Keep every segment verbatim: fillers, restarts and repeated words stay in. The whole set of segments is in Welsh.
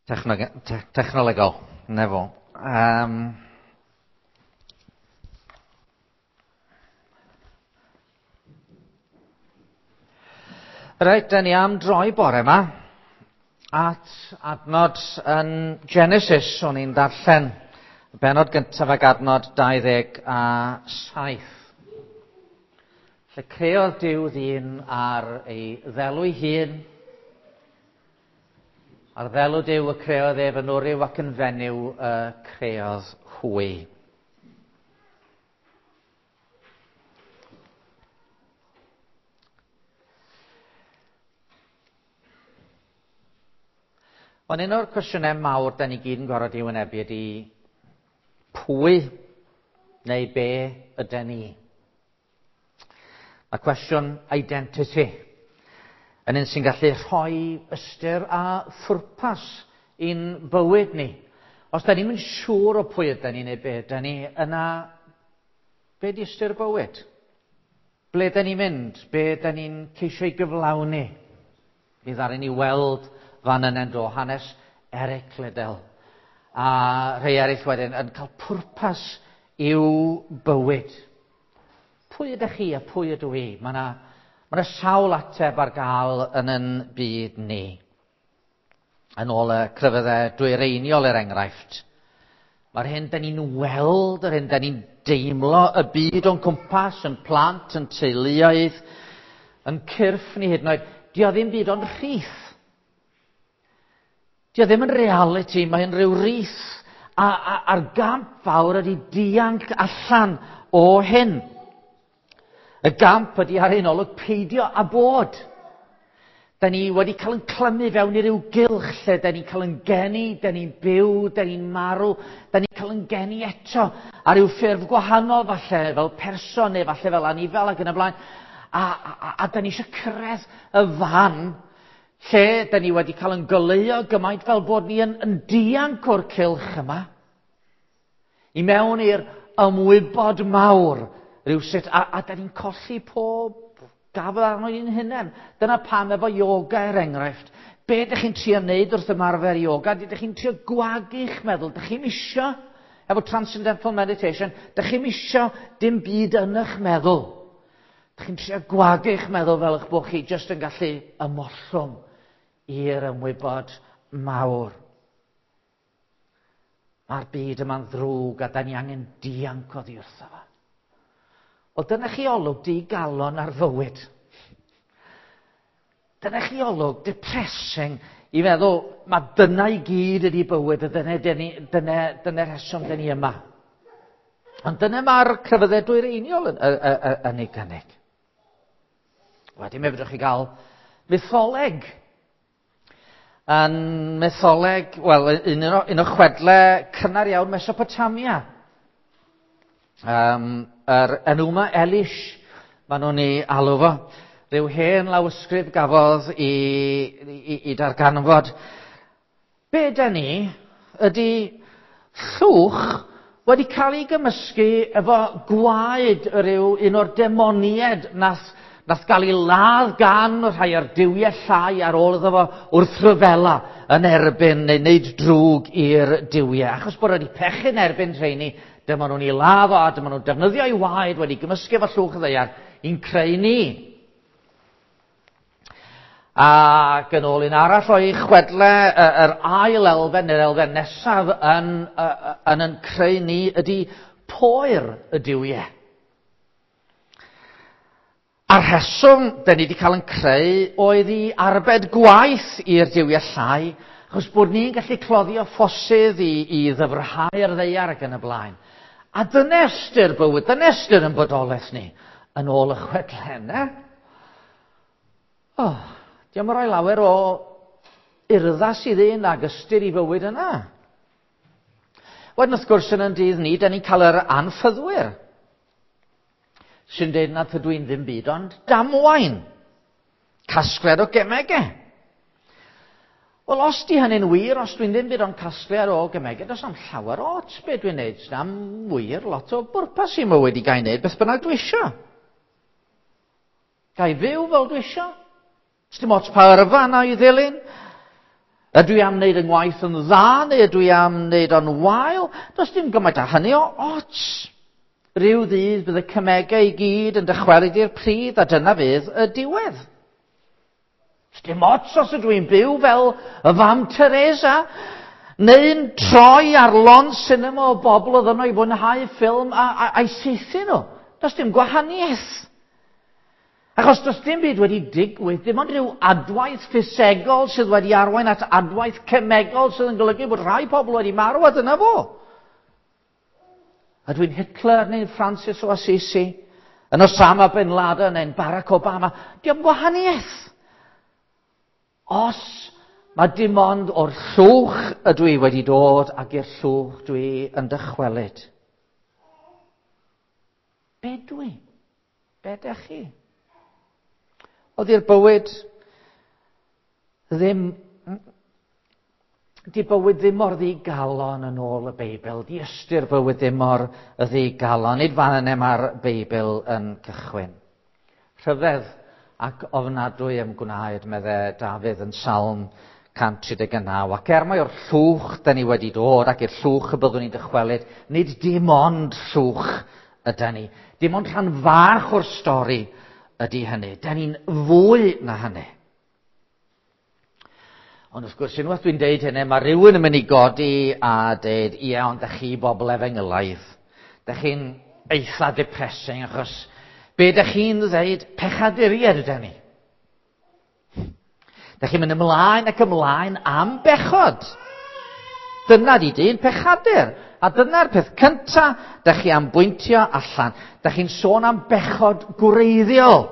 Technolegol, nefo. Um, Reit, da ni am droi bore yma at adnod yn Genesis, o'n i'n darllen y bennod gyntaf ag adnod dau ddeg a saith. Lle creodd Duw ddyn ar ei ddelw ei hun, ar ddelw Duw y creodd ef yn wryw ac yn fenyw y creodd hwy. Ond un o'r cwestiynau mawr da ni gyd yn gorfod i wynebu ydy pwy neu be ydy ni? Mae cwestiwn identity yn un sy'n gallu rhoi ystyr a phwrpas i'n bywyd ni. Os da ni'n siŵr o pwy ydy ni neu be ydy ni, yna be di ystyr bywyd? Ble da ni'n mynd? Be da ni'n ceisio i gyflawni? Mi ddaru ni weld fan yna'n do hanes Eric Liddell a rhai eraill wedyn yn cael pwrpas i'w bywyd. Pwy ydych chi a pwy ydw i? Mae yna ma sawl ateb ar gael yn yn byd ni. Yn ôl y crefyddau dwyreiniol er enghraifft. Mae'r hyn da ni'n weld, yr hyn da ni'n deimlo y byd o'n cwmpas, yn plant, yn teuluoedd, yn cyrff ni hyd yn oed, di o ddim byd ond rhith. Di o ddim yn reality, mae'n rhyw rith. A, a, a'r gamp fawr ydy dianc allan o hyn. Y gamp ydy ar un olwg peidio a bod. Da ni wedi cael yn clymu fewn i ryw gylch lle da ni'n cael yn geni, da ni'n byw, da ni'n marw, da ni'n cael yn geni eto ar ryw ffurf gwahanol falle, fel person neu falle fel anifel ac yn y blaen. A, a, a da ni eisiau cyrraedd y fan lle da ni wedi cael yn goleuo gymaint fel bod ni yn, yn dianc o'r cylch yma. I mewn i'r ymwybod mawr rhywsut, a, a da ni'n colli pob gafel arno i'n hunain. Dyna pam efo yoga er enghraifft. Be ydych chi'n trio wneud wrth ymarfer yoga? Ydych chi'n trio gwagu'ch meddwl? Ydych chi'n isio, efo transcendental meditation, ydych chi'n isio dim byd yn eich meddwl? Ydych chi'n trio gwagu'ch meddwl fel eich bod chi jyst yn gallu ymollwng i'r ymwybod mawr. Mae'r byd yma'n ddrwg a da ni angen dianc oddi wrtho fo. Wel, dyna chi olwg digalon ar fywyd. Dyna chi olwg depressing i feddwl, mae dyna i gyd ydi bywyd, a dyna, dyna, dyna, dyna rheswm dyna ni yma. Ond dyna mae'r crefyddau dwyreiniol yn, yn, yn, yn ei gynnig. Wedyn, mi fedrwch chi gael mytholeg. Yn mytholeg, wel, un o, un o chwedle cynnar iawn Mesopotamia. Um, yr Enuma Elish, maen nhw'n ei alw fo. Rhyw hen lawysgrif gafodd i, i, i darganfod. Be da ni ydy llwch wedi cael ei gymysgu efo gwaed rhyw un o'r demonied nath, nath gael ei ladd gan rhai o'r duwiau llai ar ôl iddo fo wrth ryfela yn erbyn neu wneud drwg i'r duwiau. Achos bod wedi pechu'n erbyn rheini, dyma nhw'n ei ladd o a dyma nhw'n defnyddio ei waed wedi gymysgu efo llwch y ddaear i'n creu ni. Ac yn ôl un arall o'i chwedle, yr ail elfen neu'r elfen nesaf yn, yn, yn creu ni ydy poer y duwiau. A'r rheswm da ni wedi cael yn creu oedd i arbed gwaith i'r duwiau llai, achos bod ni'n gallu cloddio ffosydd i, i ddyfrhau'r ddaear ac yn y blaen. A dyna ystyr bywyd, dyna ystyr yn bodolaeth ni, yn ôl y chwedlen, eh? Oh, diolch yn rhoi lawer o urddas i ddyn ag ystyr i fywyd yna. Wedyn wrth gwrs yn yn dydd ni, da ni'n cael yr anffyddwyr sy'n dweud na tydw i'n ddim byd ond damwain. Casgliad o gemegau. Wel, os di hynny'n wir, os dwi'n ddim byd ond casgliad o gemegau, does am llawer o ots be dwi'n neud. Does am wir lot o bwrpas i mywyd i gael neud beth bynnag dwi isio. Ga i fyw fel dwi isio. Does dim ots pa yrfa na i ddilyn. Ydw i am wneud yng ngwaith yn dda neu ydw i am wneud o'n wael? Does dim gymaint â hynny o ots. Rhyw ddydd bydd y cemegau i gyd yn dychwelyd i'r pridd a dyna fydd y diwedd. Does dim ots os ydw i'n byw fel y fam Teresa neu'n troi ar lond cinema o bobl oedd yno i fwynhau ffilm a, a, a'i saethu nhw. Does dim gwahaniaeth. Achos does dim byd wedi digwydd, dim ond rhyw adwaith ffisegol sydd wedi arwain at adwaith cemegol sydd yn golygu bod rhai pobl wedi marw a dyna fo. Ydw i'n Hitler neu'n Francis o Assisi, yn Osama Bin Laden neu'n Barack Obama, dim gwahaniaeth. Os mae dim ond o'r llwch ydw i wedi dod ac i'r llwch dwi yn dychwelyd. Be dwi? Be dych chi? Oedd i'r bywyd ddim... Di bywyd ddim mor ddigalon yn ôl y Beibl. Di ystyr bywyd ddim mor ddigalon. Nid fan yna mae'r Beibl yn cychwyn. Rhyfedd ac ofnadwy ym gwnaed, medde Dafydd yn Salm cant tri deg naw. Ac er mai o'r llwch da ni wedi dod ac i'r llwch y byddwn ni'n dychwelyd, nid dim ond llwch yda ni. Dim ond rhan fach o'r stori ydy hynny. Da ni'n fwy na hynny. Ond wrth gwrs, unwaith dwi'n deud hynny, mae rhywun yn mynd i godi a deud, ie, ond da chi bobl efengylaidd. Da chi'n eitha depressing, achos be da chi'n dweud, pechaduriaid yda ni. Da chi'n mynd ymlaen ac ymlaen am bechod. Dyna di dyn pechadur. A dyna'r peth cynta da chi am bwyntio allan. Da chi'n sôn am bechod gwreiddiol.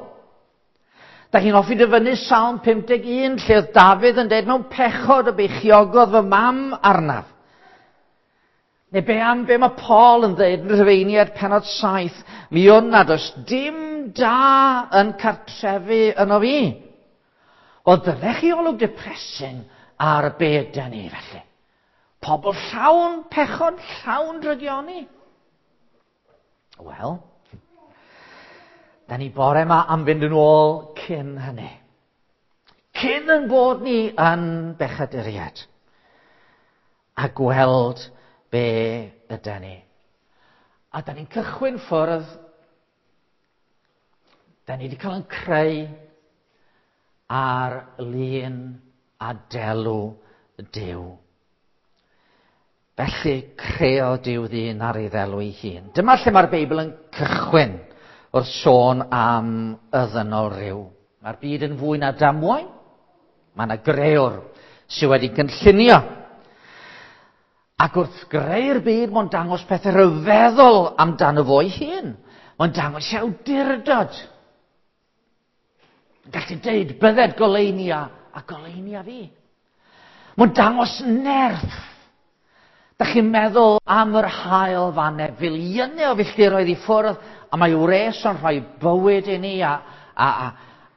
Da chi'n hoffi dyfynnu Salm pum deg un, lle oedd Dafydd yn dweud, mewn pechod y beichiogodd fy mam arnaf. Neu be am be mae Paul yn dweud yn Rhufeiniaid pennod saith, mi wn nad oes dim da yn cartrefu yno fi. Wel, dylech chi olwg depressing ar y byd da ni felly. Pobl llawn pechod, llawn drygioni. Wel, da ni bore yma am fynd yn ôl cyn hynny. Cyn yn bod ni yn bechaduriaid. A gweld be yda ni. A da ni'n cychwyn ffwrdd, da ni wedi cael yn creu ar lun a delw Duw. Felly creodd Duw ddyn ar ei ddelw ei hun. Dyma lle mae'r Beibl yn cychwyn wrth sôn am y ddynol ryw. Mae'r byd yn fwy na damwain. Mae yna grëwr sydd wedi gynllunio. Ac wrth greu'r byd, mae'n dangos pethau rhyfeddol amdano fo ei hun. Mae'n dangos ei awdurdod. Gallu deud, bydded goleuni a, a goleuni a fi. Mae'n dangos nerth. Da chi'n meddwl am yr haul fanne, filiynau o filltiroedd i ffwrdd, a mae wres o'n rhoi bywyd i ni a, a, a,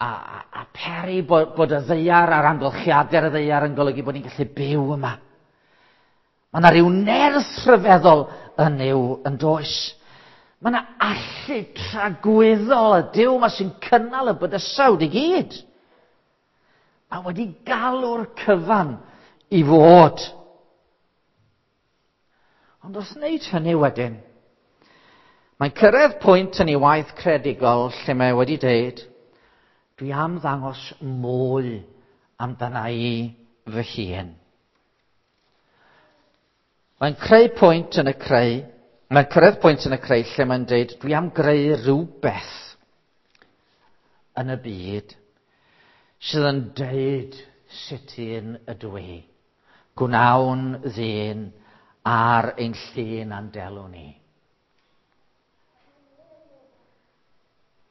a, a peri bod, bod y ddaear a'r amgylchiadau'r y ddaear yn golygu bod ni'n gallu byw yma. Mae yna rhyw nerth rhyfeddol yn Nuw yn does. Mae yna allu tragwyddol y Duw yma sy'n cynnal y bydysawd i gyd. Mae wedi galw'r cyfan i fod. Ond wrth wneud hynny wedyn, mae'n cyrraedd pwynt yn ei waith creadigol lle mae wedi deud, dwi am ddangos mwy amdana i fy hun. Mae'n creu pwynt yn y creu, mae'n cyrraedd pwynt yn y creu lle mae'n deud, dwi am greu rhywbeth yn y byd sydd yn deud sut un ydw i. Gwnawn ddyn ar ein llun a'n delw ni.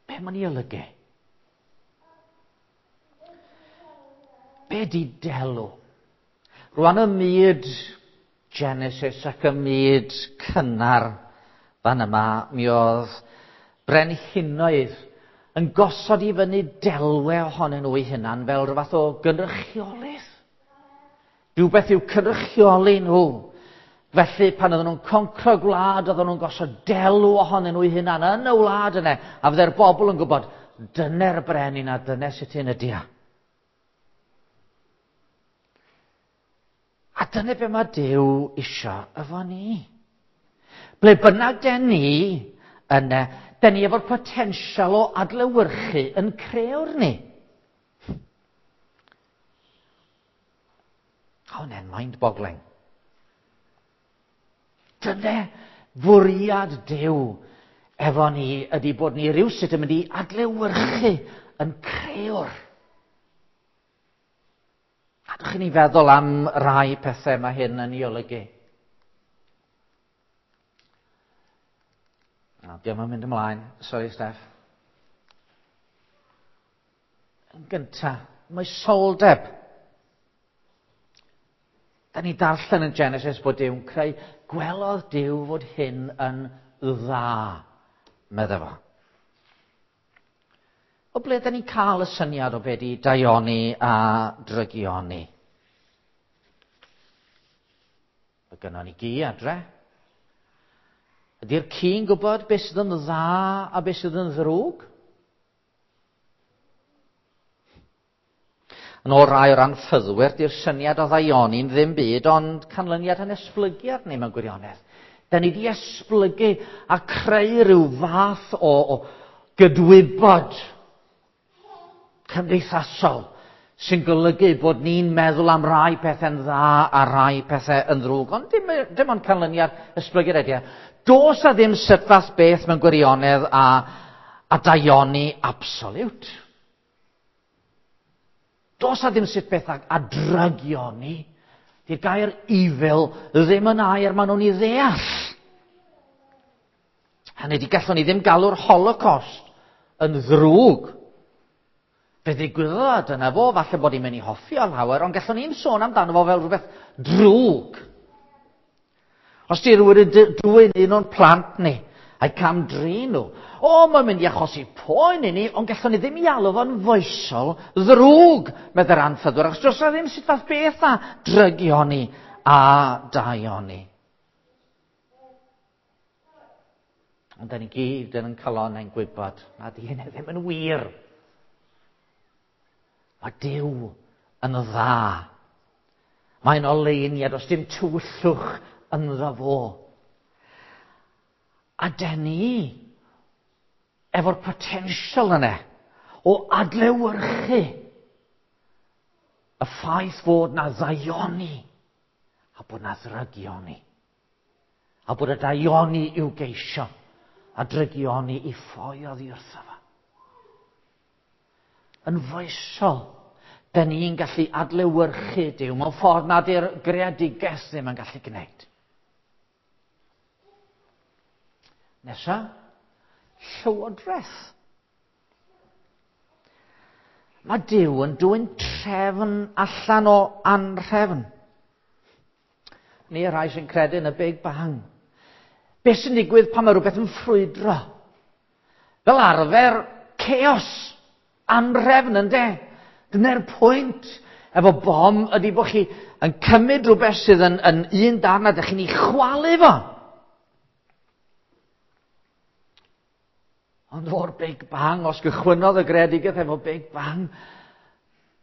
Be mae'n ei olygu? Be di delw? Rwan y myd Genesis ac y myd cynnar fan yma, mi oedd brenhinoedd yn gosod i fyny delwe ohonyn nhw eu hunan fel rhyw fath o gynrychiolydd. Rhywbeth i'w cynrychioli nhw. Felly, pan oedden nhw'n concro gwlad, oedden nhw'n gosod delw ohonyn nhw eu hunan yn y wlad yna, a fydde'r bobl yn gwybod, dyna'r brenin a dyna sut un ydi o. A dyna be mae Duw isio efo ni. Ble bynnag den ni yna, den ni efo'r potensial o adlewyrchu yn creu'r ni. Hwnna'n mind-boggling. Dyna fwriad Duw efo ni ydy bod ni rywsut yn mynd i adlewyrchu yn creu'r. A dwch chi ni feddwl am rai pethau mae hyn yn ei olygu. Na, diolch yn mynd ymlaen. Sorry, Steph. Yn gyntaf, moesoldeb. Da ni darllen yn Genesis bod Duw'n creu, gwelodd Duw fod hyn yn dda, medda fo. O ble da ni'n cael y syniad o be di daioni a drygioni? Mae gynnon ni gi adre. Ydy'r ci'n gwybod beth sydd yn dda a beth sydd yn ddrwg? Yn ôl rai o'r anffyddwyr, di'r syniad o ddaioni'n ddim byd, ond canlyniad yn esblygiad ni mewn gwirionedd. Da ni di esblygu a creu rhyw fath o, o gydwybod cymdeithasol sy'n golygu bod ni'n meddwl am rai pethau'n dda a rai pethau yn ddrwg. Ond dim, dim ond canlyniad esblygiad ydy e. Does a ddim sut beth mewn gwirionedd a, a daioni absoliwt. Does a ddim sut beth a, a drygioni. Di'r gair evil ddim yn air maen nhw'n ei ddeall. Hynny di gallwn ni ddim galw'r Holocaust yn ddrwg. Fe ddigwyddodd dyna fo, falle bod ni'n mynd i hoffi o lawer, ond gallwn ni'n sôn amdano fo fel rhywbeth drwg. Os di rhywun yn dwyn un o'n plant ni, a'i cam-drin nhw, o, mae'n mynd i achosi poen i ni, ond gallwn ni ddim i alw fo'n foesol ddrwg, medde'r anffyddwyr, achos does na ddim sut fath beth a drygioni a daioni. Ond da ni gyd yn ein calonnau'n gwybod nad ydy hynny ddim yn wir. Mae Duw yn dda. Mae'n oleuniad, os dim tywyllwch ynddo fo. A den ni, efo'r potensial yna o adlewyrchu y ffaith fod na ddaioni a bod na ddrygioni. A bod y daioni i'w geisio a drygioni i ffoi oddi wrtho fo. Yn foesol, da ni'n gallu adlewyrchu Duw mewn ffordd nad yw'r greadigaeth ddim yn gallu gwneud. Nesa, llywodraeth. Mae Duw yn dwyn trefn allan o anrhefn. Ni rhai sy'n credu yn y Big Bang. Beth sy'n digwydd pan mae rhywbeth yn ffrwydro? Fel arfer, chaos, anrhefn ynde? Dyna'r pwynt efo bom ydy bod chi yn cymryd rhywbeth sydd yn, yn un darn a dych chi'n ei chwalu fo. Ond o'r Big Bang, os gychwynnodd y greadigaeth efo Big Bang,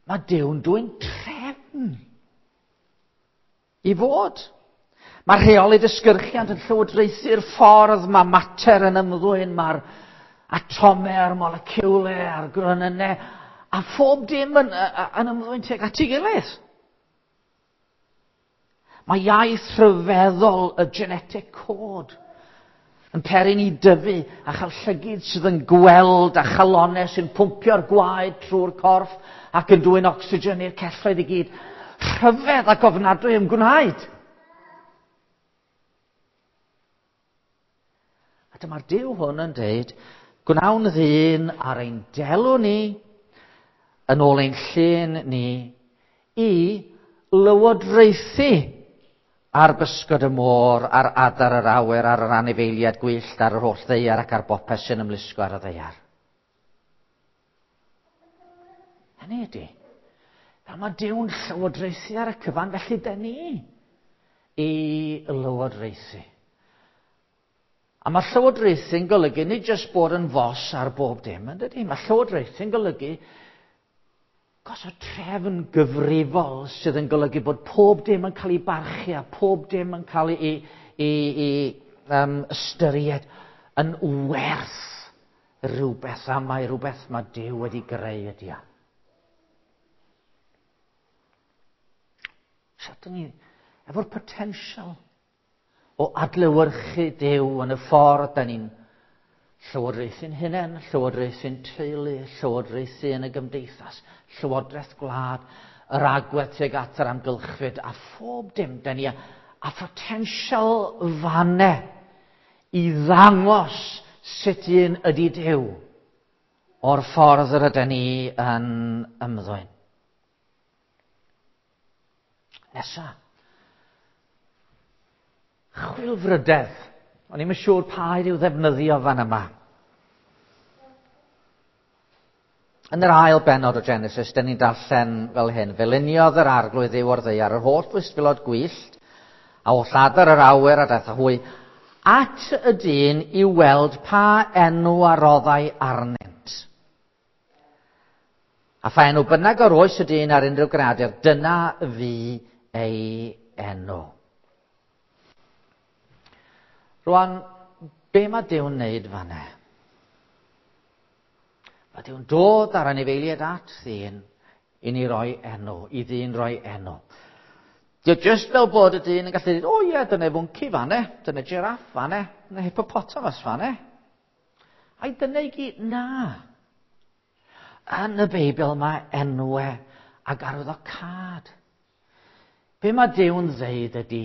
mae Duw'n dwyn trefn i fod. Mae rheoli dysgyrchiant yn llywodraethu'r ffordd, mae mater yn ymddwyn, mae'r atomau a'r moleciwlau a'r gronynnau, a phob dim yn, yn ymddwyn tuag at ei gilydd. Mae iaith rhyfeddol y genetic code yn peri ni dyfu a chael llygid sydd yn gweld a chalonau sy'n pwmpio'r gwaed trwy'r corff ac yn dwyn ocsigen i'r celloedd i gyd. Rhyfedd ac ofnadwy yn gwnaed. A dyma'r Duw hwn yn dweud, gwnawn ddyn ar ein delw ni, yn ôl ein llun ni, i lywodraethu ar bysgod y môr, ar adar yr awyr, ar yr anifeiliaid gwyllt, ar yr holl ddaear ac ar bopeth sy'n ymlusgo ar y ddaear. Hynny ydy, fel mae Duw'n llywodraethu ar y cyfan, felly dyn ni i lywodraethu. A mae llywodraethu'n golygu nid jyst bod yn fos ar bob dim, yn dydy? Mae llywodraethu'n golygu Gosod trefn gyfrifol sydd yn golygu bod pob dim yn cael ei barchu a pob dim yn cael ei, ei, ei um, ystyried yn werth rhywbeth, a mae rhywbeth mae Duw wedi greu ydi o. So, dyn ni efo'r potensial o adlewyrchu Duw yn y ffordd da ni'n llywodraethu'n hunain, llywodraethu'n teulu, llywodraethu yn y gymdeithas, llywodraeth gwlad, yr agwedd tuag at yr amgylchfyd, a phob dim da ni a, a photensial fanne i ddangos sut un ydy Duw o'r ffordd yr ydyn ni yn ymddwyn. Nesa, chwilfrydedd. O'n i'm yn siŵr pa i'w ddefnyddio fan yma. Yn yr ail bennod o Genesis, dyn ni'n darllen fel hyn. Fe luniodd yr arglwydd Dduw o'r ddaear yr holl fwystfilod gwyllt, a holl adar yr awyr a daeth â hwy, at y dyn i weld pa enw a roddai arnynt. A pha enw bynnag o'r oes y dyn ar unrhyw greadur, dyna fu ei enw. Rwan, be mae Duw'n wneud fan'na? Mae Duw'n dod ar anifeiliaid at ddyn i ni roi enw, i ddyn roi enw. Dio jyst fel bod y dyn yn gallu dweud, o ie, dyna fwnci fan'na, dyna giraff fan'na, dyna hippopotamus fan'na. Ai dyna i gyd? Na. Yn y Beibl mae enwau ag arwyddocâd. Be mae Duw'n ddeud ydy,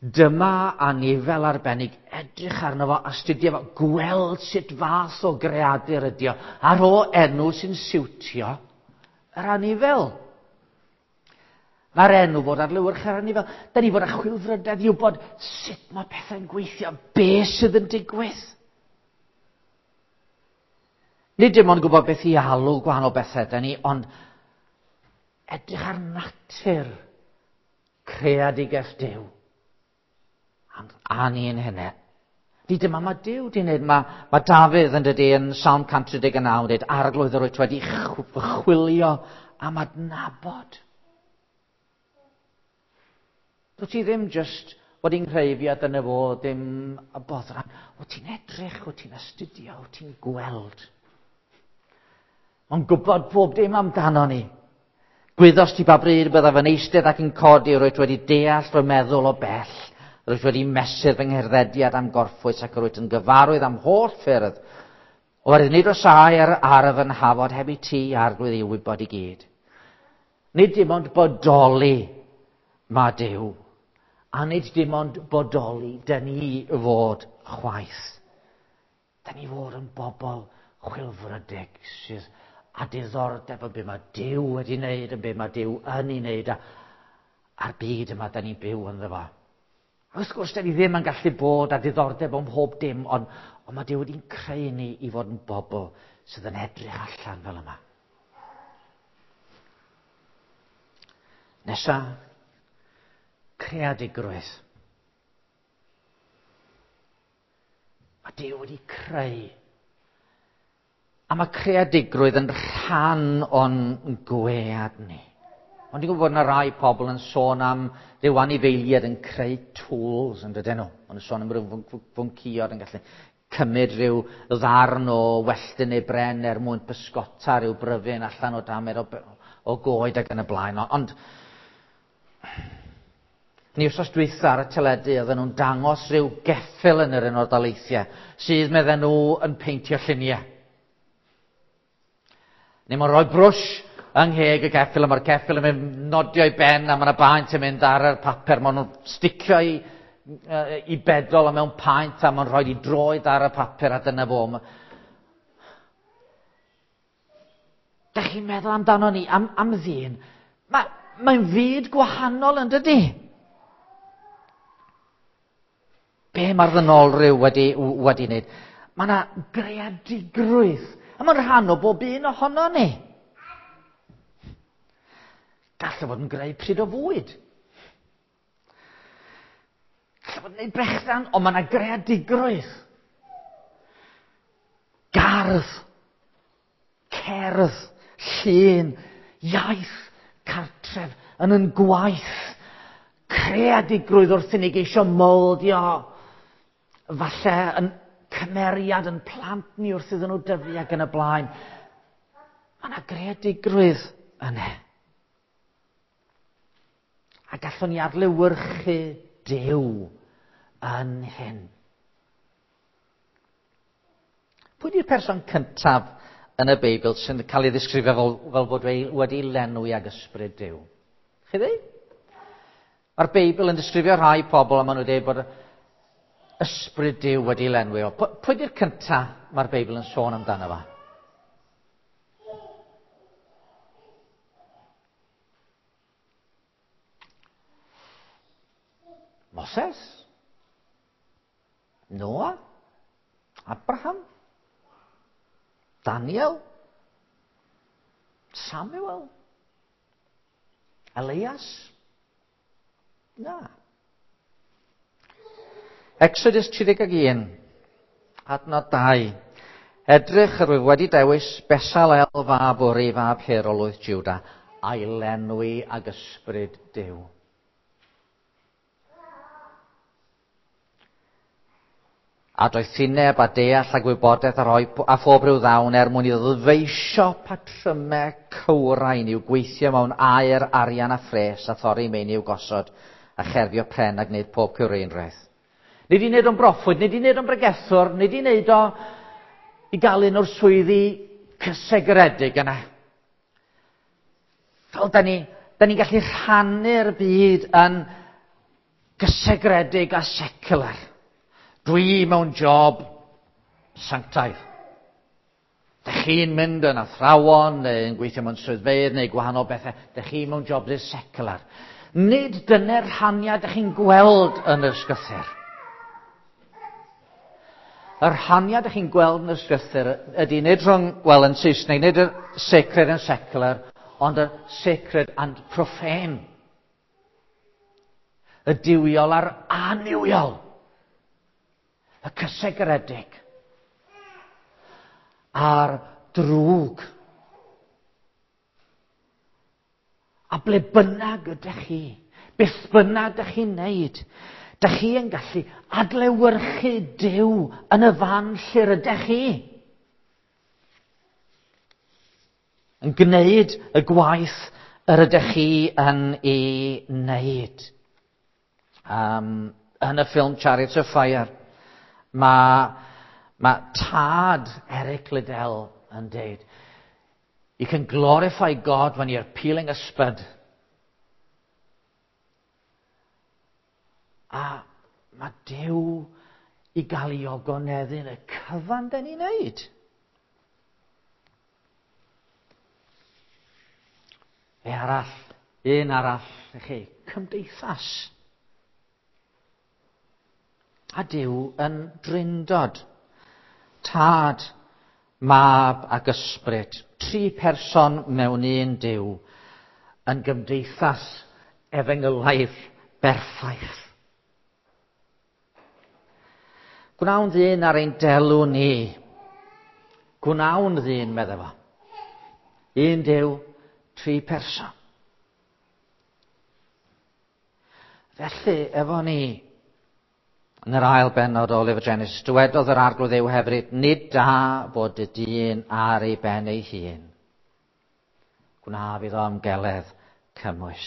dyma anifel arbennig, edrych arno fo, astudio fo, gweld sut fath o greadur ydi o, a rho enw sy'n siwtio yr anifel. Mae'r enw fod adlewyrchu ar anifel. Da ni fod â chwilfrydedd i wybod sut mae pethau'n gweithio, be sydd yn digwydd. Nid dim ond gwybod beth i alw gwahanol bethau da ni, ond edrych ar natur creadigaeth Duw. A ni'n hynny. Ni dyma mae Duw di wneud. Mae, mae Dafydd yn dydy yn Salm cant tri deg naw yn dweud, arglwydd yr wyt wedi chwilio am adnabod. Dwyt ti ddim just wedi'n creu fi a dyna fo, ddim y boddran. Wyt ti'n edrych, wyt ti'n astudio, wyt ti'n gweld. Mae'n gwybod pob dim amdano ni. Gwyddost ti ba bryd byddaf yn eistedd ac yn codi, rwyt wedi deall fy meddwl o bell. Rwyt wedi mesur fy ngherddediad am gorffwys ac rwyt yn gyfarwydd am holl ffyrdd. Oherwydd nid oes air ar fy nhafod heb i ti, arglwydd, i wybod i gyd. Nid dim ond bodoli mae Duw, a nid dim ond bodoli dyn ni fod chwaith. Dyn ni fod yn bobl chwilfrydig sydd â diddordeb yn be mae Duw wedi wneud, yn be mae Duw yn ei wneud, a, a'r byd yma dyn ni'n byw ynddo fo. Wrth gwrs, dyn ni ddim yn gallu bod â diddordeb ym mhob dim, ond, ond mae Duw wedi'n creu ni i fod yn bobl sydd yn edrych allan fel yma. Nesa, creadigrwydd. Mae Duw wedi creu. A mae creadigrwydd yn rhan o'n gwead ni. Ond dwi'n gwybod bod yna rai pobl yn sôn am ryw anifeiliaid yn creu tools yn dydyn nhw. Ond yn sôn am ryw fwncïod yn gallu cymryd rhyw ddarn o welltyn neu bren er mwyn pysgota rhyw bryfyn allan o damed o, o goed ac yn y blaen. Ond ni wrthos dwytha ar y teledu oedden nhw'n dangos rhyw geffyl yn yr Unol Daleithiau sydd medden nhw yn peintio lluniau. Neu mae'n rhoi brwsh yng ngheg y ceffyl, a mae'r ceffyl yn mynd nodio i ben, a mae'na baent yn mynd ar y papur. Maen nhw'n sticio i, i bedol a mewn paent, a maen rhoi i droed ar y papur, a dyna fo. Dach chi'n meddwl amdano ni, am, am ddyn? Mae, mae'n fyd gwahanol yn dydy? Be mae'r ddynolryw wedi, wedi wneud? Mae yna greadigrwydd, a mae'n rhan o bob un ohono ni. Gallai fod yn greu pryd o fwyd. Gallai fod yn gwneud brechdan, ond mae yna greadigrwydd. Gardd, cerdd, llun, iaith cartref, yn yn gwaith, creadigrwydd wrth i ni geisio moldio, falle yn cymeriad yn plant ni wrth iddyn nhw dyfu ac yn y blaen. Mae yna greadigrwydd yna. A gallwn ni adlewyrchu Duw yn hyn. Pwy di'r person cyntaf yn y Beibl sy'n cael ei ddisgrifio fel, fel bod wedi lenwi ag ysbryd Duw? Chi ddweud? Mae'r Beibl yn disgrifio rhai pobl a maen nhw'n dweud bod ysbryd Duw wedi lenwi o. Pwy di'r cyntaf mae'r Beibl yn sôn amdano fo? Moses? Noah? Abraham? Daniel? Samuel? Elias? Na. Exodus tri deg un, adnod dau. Edrych, yr wyf wedi dewis Besalel fab Uri fab Hur o lwyth Juda, a'i lenwi ag ysbryd Duw. A doethineb a deall a gwybodaeth a rhoi a phob rhyw ddawn er mwyn iddo ddyfeisio patrymau cywrain i'w gweithio mewn aer, arian a phres a thorri meini i'w gosod a cherfio pren a gwneud pob cywreinrwydd. Nid i wneud o'n broffwyd, nid i wneud o'n bregethwr, nid i wneud o i gael un o'r swyddi cysegredig yna. Fel da ni, da ni'n gallu rhannu'r byd yn gysegredig a secular. Dwi mewn job sanctaidd. Dych chi'n mynd yn athrawon, neu yn gweithio mewn swyddfeydd, neu gwahanol bethau. Dych chi mewn job sydd secular. Nid dyna'r rhaniad dych chi'n gweld yn yr ysgrythur. Y rhaniad dych chi'n gweld yn yr ysgrythur ydy nid rhwng, wel yn Saesneg, nid y sacred and secular, ond y sacred and profane. Y duwiol a'r annuwiol. Y cysegredig a'r drwg. A ble bynnag ydych chi, beth bynnag ydych chi'n neud, ydych chi yn gallu adlewyrchu Duw yn y fan lle rydych chi. Yn gwneud y gwaith yr ydych chi yn ei wneud. Um, yn y ffilm Chariots of Fire, Mae, mae tad Eric Liddell yn deud, you can glorify God when you're peeling a spud. A mae Duw i gael ei ogoneddu yn y cyfan da ni'n neud. Be arall, un arall, i chi, cymdeithas. A Duw yn drindod. Tad, Mab ac Ysbryd. Tri person mewn un Duw yn gymdeithas efengylaidd berffaith. Gwnawn ddyn ar ein delw ni. Gwnawn ddyn, medde fo. Un Duw, tri person. Felly, efo ni, yn yr ail bennod o Lyfr Genesis, dywedodd yr Arglwydd Dduw hefyd, nid da bod y dyn ar ei ben ei hun. Gwnaf iddo ymgeledd cymwys.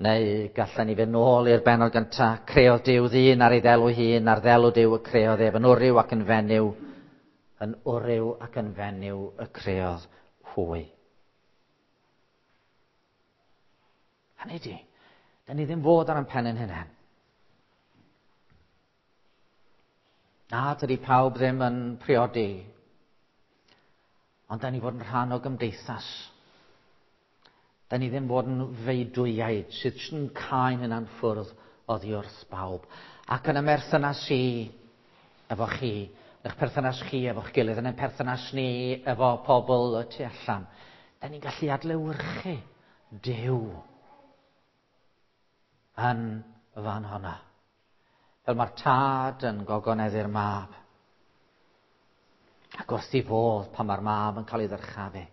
Neu gallen ni fynd nôl i'r bennod gyntaf, creodd Duw ddyn ar ei ddelw hun, ar ddelw Duw y creodd ef, yn wryw ac yn fenyw, yn wryw ac yn fenyw y creodd hwy. Hynny di, da ni ddim fod ar ein pen ein hunain. Na, dydy pawb ddim yn priodi, ond da ni fod yn rhan o gymdeithas. Da ni ddim fod yn feudwyaid sydd yn cael hynna'n ffwrdd oddi wrth bawb. Ac yn y merthynas i efo chi, eich perthynas chi efo'ch gilydd, yn ein perthynas ni efo pobl y tu allan, da ni'n gallu adlewyrchu Duw yn y fan honna. Fel mae'r tad yn gogoneddu'r mab. Ac wrth i fodd pan mae'r mab yn cael ei ddyrchafu.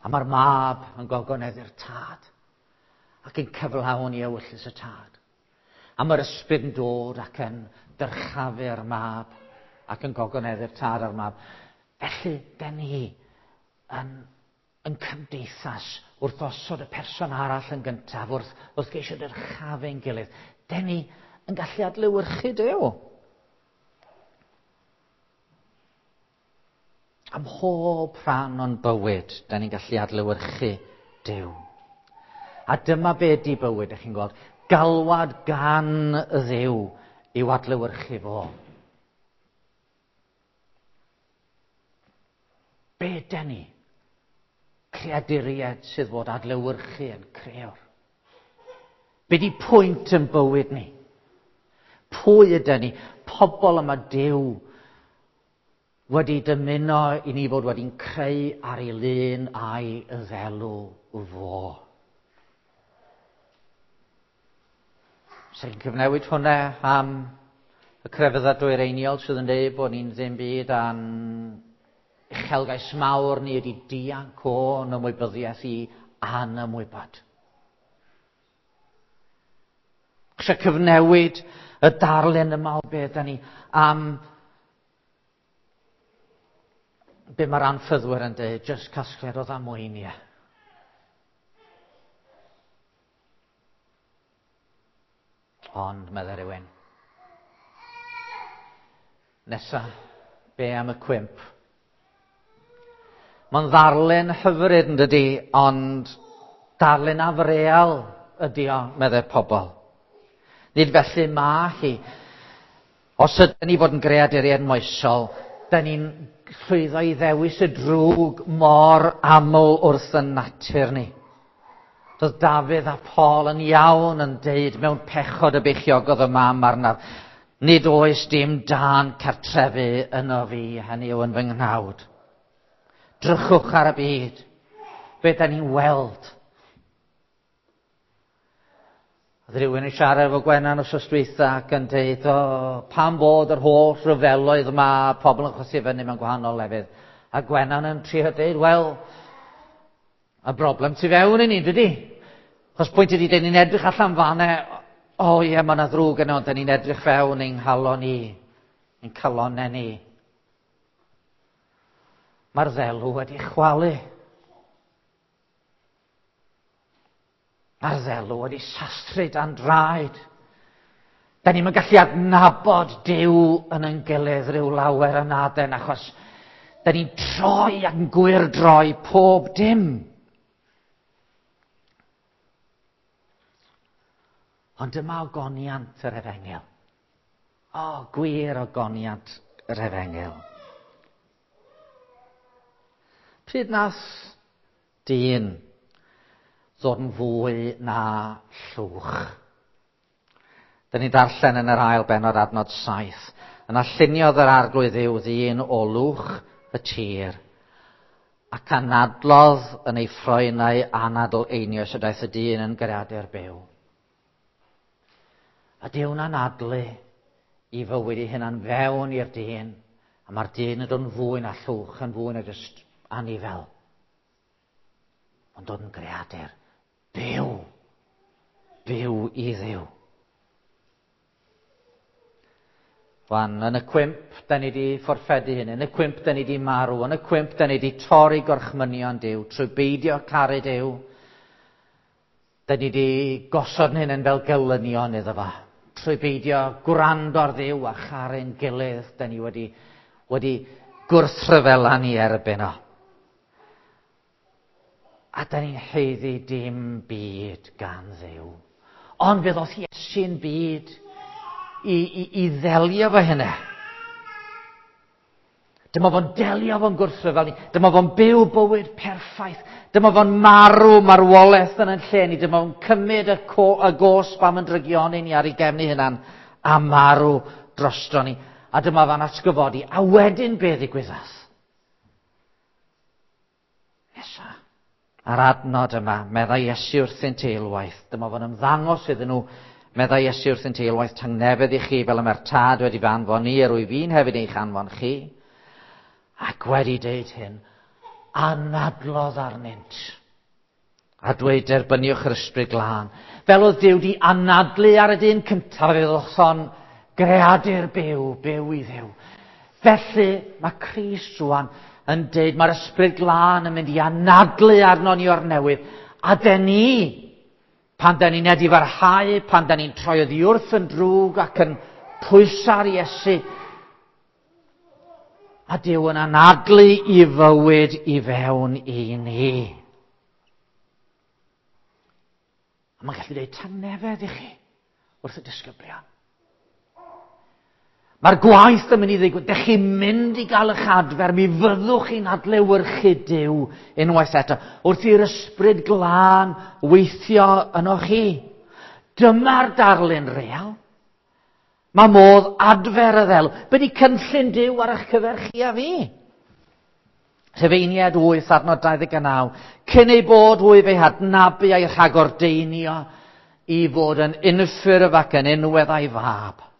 A mae'r mab yn gogoneddu'r tad ac yn cyflawni ewyllys y tad. A mae'r ysbryd yn dod ac yn dyrchafu'r mab ac yn gogoneddu'r tad a'r mab. Felly, den ni yn, yn cymdeithas wrth osod y person arall yn gyntaf, wrth, wrth geisio dyrchafu'n gilydd, den ni yn gallu adlewyrchu Duw. Am mhob rhan o'n bywyd, da ni'n gallu adlewyrchu Duw. A dyma be di bywyd, ych chi'n gweld. Galwad gan y Dduw i'w adlewyrchu fo. Be den ni? Creaduriaid sydd fod adlewyrchu yn crëwr. Be di pwynt yn bywyd ni? Pwy ydyn ni? Pobl yma Duw wedi dymuno i ni fod wedi'n creu ar ei lun a'i ddelw fo. Sy'n cyfnewid hwnna am y crefyddau dwyreiniol sydd yn dweud bod ni'n ddim byd a'n uchelgais mawr ni ydi dianc o'n ymwybyddiaeth i anymwybod. Eisiau cyfnewid y darlun yma o beth da ni am be mae'r anffyddwyr yn dweud, jyst casgliad o ddamweiniau. Ond, meddai rhywun, nesa, be am y cwymp? Mae'n ddarlun hyfryd yn dydi, ond darlun afreal ydi o, meddai pobl. Nid felly ma hi. Os ydyn ni fod yn greaduriaid moesol, dyn ni'n llwyddo i ddewis y drwg mor aml wrth y natur ni. Doedd Dafydd a Paul yn iawn yn deud mewn pechod y beichiogodd y mam arnaf, nid oes dim dan cartrefu yno fi, hynny yw yn fy nghnawd. Drychwch ar y byd, be da ni'n weld. Oedd rhywun yn siarad efo Gwenan wsos dwytha ac yn deud, o, pam bod yr holl ryfeloedd yma, pobl yn chwythu fyny mewn gwahanol lefydd. A Gwenan yn trio deud, wel, y broblem tu fewn i ni, dydy? Chos pwynt ydy, dyn ni'n edrych allan fanne, o ie, mae yna ddrwg yno, ond dyn ni'n edrych fewn ein halon ni, ein calonnau ni. Mae'r ddelw wedi chwalu. Mae'r ddelw wedi sathru dan draed. Da ni'n gallu adnabod Duw yn ein gilydd rhyw lawer yn aden, achos da ni'n troi ac yn gwyrdroi pob dim. Ond dyma ogoniant yr efengyl. O, gwir ogoniant yr efengyl. Pryd nath dyn ddod yn fwy na llwch? Dyn ni'n darllen yn yr ail bennod adnod saith. Yna lluniodd yr arglwydd Dduw ddyn o lwch y tir, ac anadlodd yn ei ffroenau anadl einioes y daeth y dyn yn greadur byw. A Duw'n anadlu i fywyd ei hunan fewn i'r dyn, a mae'r dyn yn dod yn fwy na llwch, yn fwy na jyst anifel. Mae'n dod yn greadur byw, byw i Dduw. Wan, yn y cwymp, da ni di fforffedu hyn, yn y cwymp, da ni di marw, yn y cwymp, da ni di torri gorchmynion Duw, trwy beidio caru Duw. Da ni di gosod hyn yn fel gelynion iddo fo. Trwy beidio gwrando ar Dduw a charu'n gilydd, da ni wedi, wedi gwrthryfela ni erbyn o. A da ni'n haeddu dim byd gan Dduw. Ond fe ddoth Iesu'n byd i, i, i ddelio fo hynna. Dyma fo'n delio fo'n gwrthryfel ni. Dyma fo'n byw bywyd perffaith. Dyma fo'n marw marwolaeth yn yn lle ni. Dyma fo'n cymryd y, co, y gosb am yn drygioni ni ar ei gefn ei hunan a marw drosto ni. A dyma fo'n atgyfodi. A wedyn be ddigwyddodd? Nesa. A'r adnod yma, meddai Iesu wrthynt eilwaith. Dyma fo'n ymddangos iddyn nhw, meddai Iesu wrthynt eilwaith, tangnefedd i chi fel y mae'r tad wedi fy anfon ni, yr wyf fi'n hefyd eich anfon chi. Ac wedi deud hyn, anadlodd arnynt. A dweud derbyniwch yr ysbryd glân. Fel oedd Duw di anadlu ar y dyn cyntaf, fe ddothon greadur byw, byw i Dduw. Felly mae Crist rwan yn deud mae'r ysbryd glân yn mynd i anadlu arno ni o'r newydd. A den ni, pan den ni'n edifarhau, pan den ni'n troi oddi wrth yn drwg ac yn pwyso ar Iesu, a Duw yn anadlu i fywyd i fewn i ni. A mae'n gallu dweud tangnefedd i chi wrth y disgyblion. Mae'r gwaith yn mynd i ddigwydd. Dych chi'n mynd i gael eich adfer. Mi fyddwch chi'n adlewyrchu Duw unwaith eto. Wrth i'r ysbryd glân weithio yno chi. Dyma'r darlun real. Mae modd adfer y ddelw. Be di cynllun Duw ar eich cyfer chi a fi? Rhufeiniaid wyth adnod dau ddeg naw. Cyn ei bod hwy fe'i hadnabu a'i rhagordeinio i fod yn unffurf ac yn unwedd a'i fab.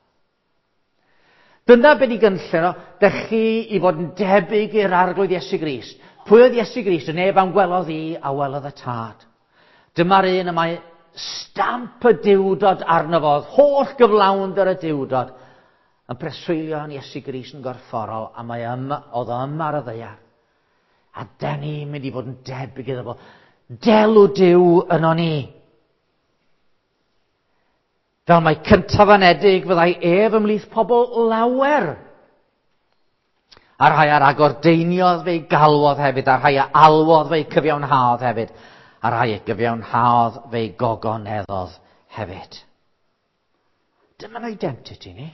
Dyna be di gynllun o, dych chi i fod yn debyg i'r Arglwydd Iesu Grist. Pwy oedd Iesu Grist? Y neb am gwelodd i a welodd y Tad. Dyma'r un y mae stamp y Duwdod arno fo, holl gyflawnder y Duwdod, yn preswylio yn Iesu Grist yn gorfforol, a mae yma, oedd o yma ar y ddaear. A den ni'n mynd i fod yn debyg iddo fo. Delw Duw yno ni. Fel mae cyntaf anedig fyddai ef ymhlith pobl lawer. A rhai ar agordeiniodd fe'i galwodd hefyd, a rhai a alwodd fe'i cyfiawnhaodd hefyd, a rhai a gyfiawnhaodd fe'i gogoneddodd hefyd. Dyma'n identity ni.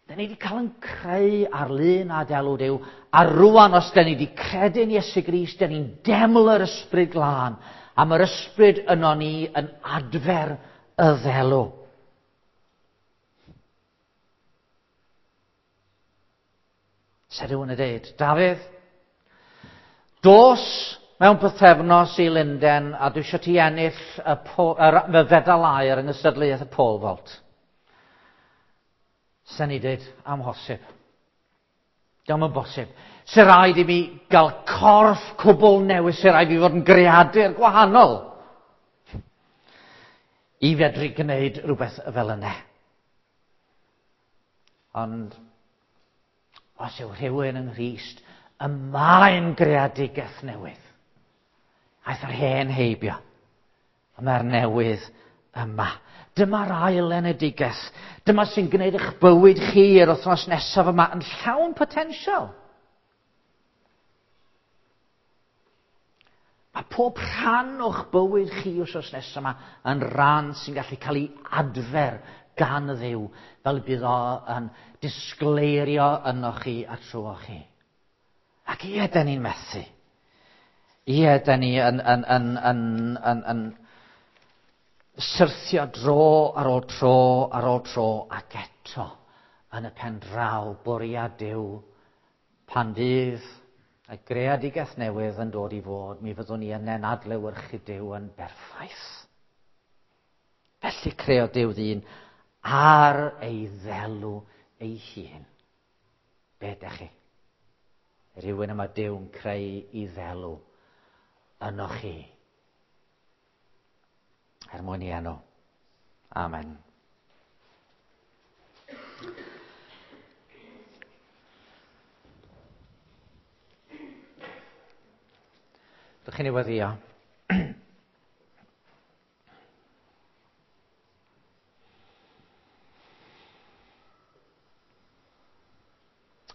Da ni wedi cael yn creu ar lun a delw Duw, a rwan os da ni wedi credu'n Iesu Grist, da ni'n deml yr ysbryd glân, a mae'r ysbryd yno ni yn adfer y ddelw. Se rhywun yn dweud, Dafydd, dos mewn pythefnos i Lunden a dwi eisiau ti ennill y, po, y, y fedal aur yng nghystadleuaeth y pole vault. Se ni dweud, amhosib. Dio'm yn bosib. Se rhaid i mi gael corff cwbl newydd, se rhaid i fi fod yn greadur gwahanol i fedru gwneud rhywbeth fel yna. Ond os yw rhywun yng Nghrist, y mae'n greadigaeth newydd. Aeth yr hen heibio, a mae'r newydd yma. Dyma'r ail enedigaeth. Dyma sy'n gwneud eich bywyd chi yr wythnos nesaf yma yn llawn potensial. Mae pob rhan o'ch bywyd chi wythnos nesaf yma yn rhan sy'n gallu cael ei adfer gan y Dduw, fel bydd o yn disgleirio yno chi a trwoch chi. Ac ie, da ni'n methu. Ie, da ni yn, yn, yn, yn, yn, yn syrthio dro ar ôl tro ar ôl tro, ac eto yn y pen draw bwriad Duw, pan fydd y greadigaeth newydd yn dod i fod, mi fyddwn ni yna'n adlewyrchu Duw yn berffaith. Felly creodd Duw ddyn ar ei ddelw ei hun. Be ydych chi? Rhywun yma Duw'n creu i ddelw yno chi. Er mwyn i enw. Amen. Dych chi'n ei weddio?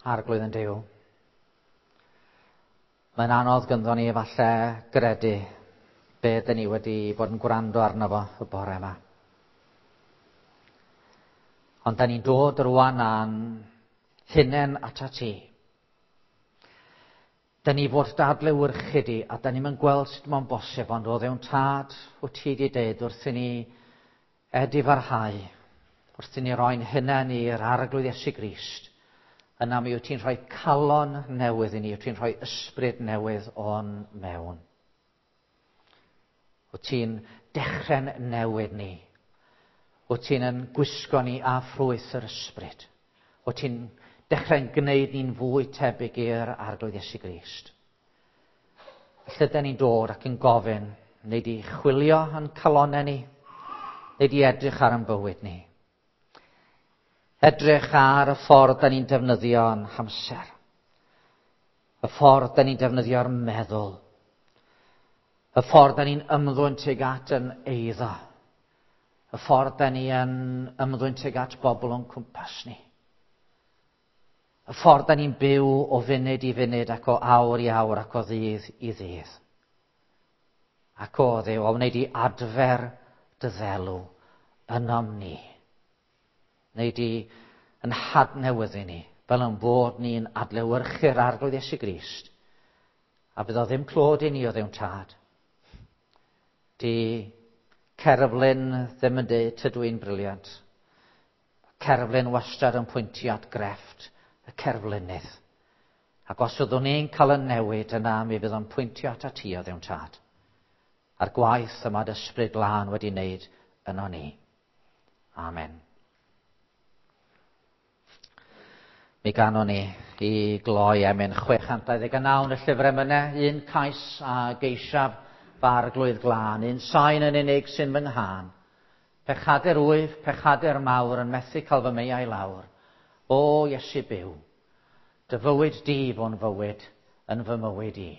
Arglwydd yn Duw. Mae'n anodd gynddo ni efallai gredu be dyn ni wedi bod yn gwrando arno fo y bore yma. Ond da ni'n dod rwan â'n hunain atat ti. Da ni fod dadlewyrchu di, a da ni'n gweld sut mae'n bosib, ond o Dduw'n Tad, wyt ti wedi deud wrth i ni edifarhau, wrth i ni roi'n hunain i'r Arglwydd Iesu Grist, yna mi wyt ti'n rhoi calon newydd i ni, wyt ti'n rhoi ysbryd newydd o'n mewn. Wyt ti'n dechrau'n newid ni. Wyt ti'n yn gwisgo ni â ffrwyth yr ysbryd. Wyt ti'n dechrau'n gwneud ni'n fwy tebyg i'r Arglwydd Iesu Grist. Lle da ni'n dod ac yn gofyn, neu di chwilio yn calonnau ni, neu di edrych ar yn bywyd ni. Edrych ar y ffordd da ni'n defnyddio yn hamser. Y ffordd da ni'n defnyddio'r meddwl. Y ffordd da ni'n ymddwyn tuag at yn eiddo. Y ffordd da ni yn ymddwyn tuag at bobl o'n cwmpas ni. Y ffordd da ni'n byw o funud i funud ac o awr i awr ac o ddydd i ddydd. Ac o Dduw, o wneud i adfer dy ddelw ynom ni. Wneud i yn hadnewyddu ni, fel yn bod ni'n adlewyrchu'r Arglwydd Iesu Grist. A bydd o ddim clod i ni o Dduw'n Tad. Di cerflun ddim yn dweud tydw i'n brilliant. Cerflun wastad yn pwyntio at grefft y cerflunydd. Ac os fyddwn ni'n cael y newid yna, mi fydd o'n pwyntio at ti o Dduw'n Tad. A'r gwaith yma dy Ysbryd Glân wedi wneud yno ni. Amen. Mi ganon ni i gloi emyn chwe chant dau ddeg a naw yn y llyfr emynau, un cais a geisiaf fy Arglwydd glân, un sain yn unig sy'n fy nghân. Pechadur wyf, pechadur mawr yn methu cael fy meiau lawr. O Iesu byw, dy fywyd di fo'n fywyd yn fy mywyd i.